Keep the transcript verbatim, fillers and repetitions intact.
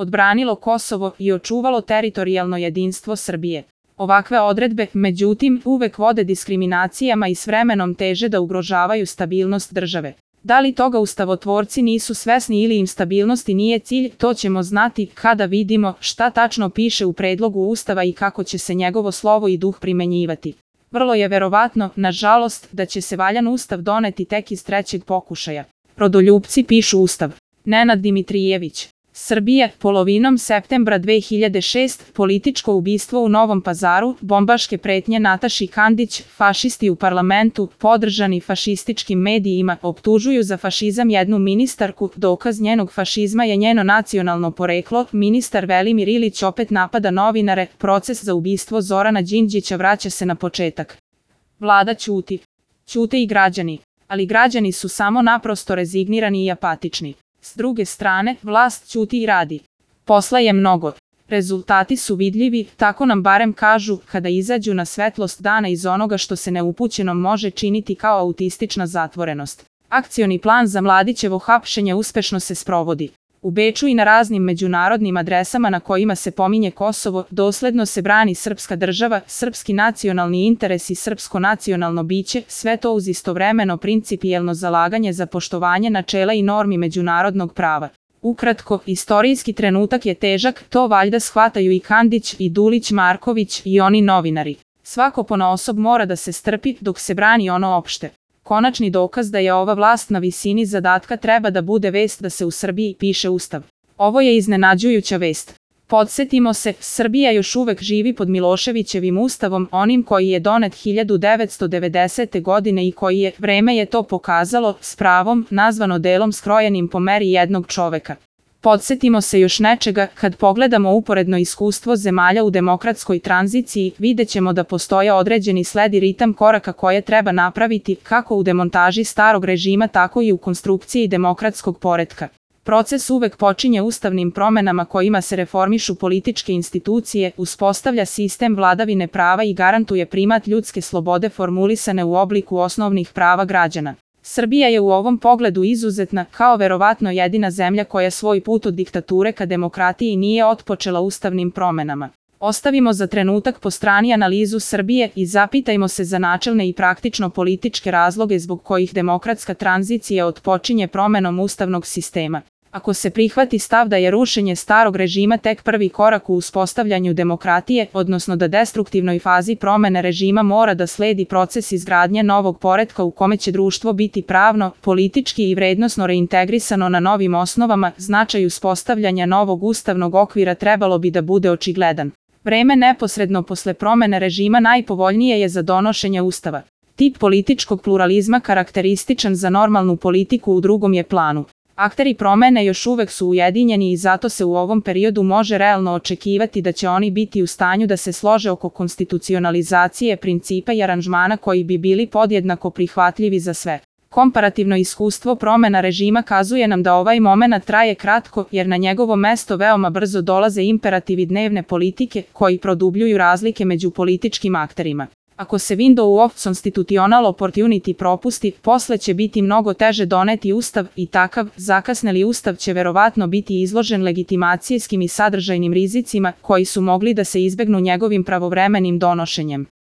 odbranilo Kosovo i očuvalo teritorijalno jedinstvo Srbije. Ovakve odredbe, međutim, uvek vode diskriminacijama i s vremenom teže da ugrožavaju stabilnost države. Da li toga ustavotvorci nisu svesni ili im stabilnosti nije cilj, to ćemo znati kada vidimo šta tačno piše u predlogu Ustava i kako će se njegovo slovo i duh primenjivati. Vrlo je verovatno, nažalost, da će se valjan Ustav doneti tek iz trećeg pokušaja. Rodoljupci pišu Ustav. Nenad Dimitrijević. Srbija, polovinom septembra dve hiljade šeste. Političko ubistvo u Novom Pazaru, bombaške pretnje Nataši Kandić, fašisti u parlamentu, podržani fašističkim medijima, optužuju za fašizam jednu ministarku, dokaz njenog fašizma je njeno nacionalno poreklo, ministar Velimir Ilić opet napada novinare, proces za ubistvo Zorana Đinđića vraća se na početak. Vlada ćuti. Ćute i građani, ali građani su samo naprosto rezignirani i apatični. S druge strane, vlast ćuti i radi. Posla je mnogo. Rezultati su vidljivi, tako nam barem kažu, kada izađu na svetlost dana iz onoga što se neupućenom može činiti kao autistična zatvorenost. Akcioni plan za Mladićevo hapšenje uspešno se sprovodi. U Beču i na raznim međunarodnim adresama na kojima se pominje Kosovo, dosledno se brani srpska država, srpski nacionalni interes i srpsko nacionalno biće, sve to uz istovremeno principijelno zalaganje za poštovanje načela i normi međunarodnog prava. Ukratko, istorijski trenutak je težak, to valjda shvataju i Kandić, i Dulić Marković, i oni novinari. Svako ponaosob mora da se strpi dok se brani ono opšte. Konačni dokaz da je ova vlast na visini zadatka treba da bude vest da se u Srbiji piše Ustav. Ovo je iznenađujuća vest. Podsjetimo se, Srbija još uvek živi pod Miloševićevim ustavom, onim koji je donet hiljadu devetsto devedesete. godine i koji je, vreme je to pokazalo, s pravom, nazvano delom skrojenim po meri jednog čoveka. Podsjetimo se još nečega, kad pogledamo uporedno iskustvo zemalja u demokratskoj tranziciji, vidjet ćemo da postoje određeni sled i ritam koraka koje treba napraviti, kako u demontaži starog režima, tako i u konstrukciji demokratskog poretka. Proces uvek počinje ustavnim promenama kojima se reformišu političke institucije, uspostavlja sistem vladavine prava i garantuje primat ljudske slobode formulisane u obliku osnovnih prava građana. Srbija je u ovom pogledu izuzetna, kao verovatno jedina zemlja koja svoj put od diktature ka demokratiji nije otpočela ustavnim promenama. Ostavimo za trenutak po strani analizu Srbije i zapitajmo se za načelne i praktično političke razloge zbog kojih demokratska tranzicija otpočinje promenom ustavnog sistema. Ako se prihvati stav da je rušenje starog režima tek prvi korak u uspostavljanju demokratije, odnosno da destruktivnoj fazi promene režima mora da sledi proces izgradnje novog poretka u kome će društvo biti pravno, politički i vrednosno reintegrisano na novim osnovama, značaj uspostavljanja novog ustavnog okvira trebalo bi da bude očigledan. Vreme neposredno posle promene režima najpovoljnije je za donošenje ustava. Tip političkog pluralizma karakterističan za normalnu politiku u drugom je planu. Akteri promene još uvek su ujedinjeni i zato se u ovom periodu može realno očekivati da će oni biti u stanju da se slože oko konstitucionalizacije principa i aranžmana koji bi bili podjednako prihvatljivi za sve. Komparativno iskustvo promena režima kazuje nam da ovaj momenat traje kratko jer na njegovo mesto veoma brzo dolaze imperativi dnevne politike koji produbljuju razlike među političkim akterima. Ako se window of constitutional opportunity propusti, posle će biti mnogo teže doneti ustav i takav, zakasneli ustav će verovatno biti izložen legitimacijskim i sadržajnim rizicima koji su mogli da se izbegnu njegovim pravovremenim donošenjem.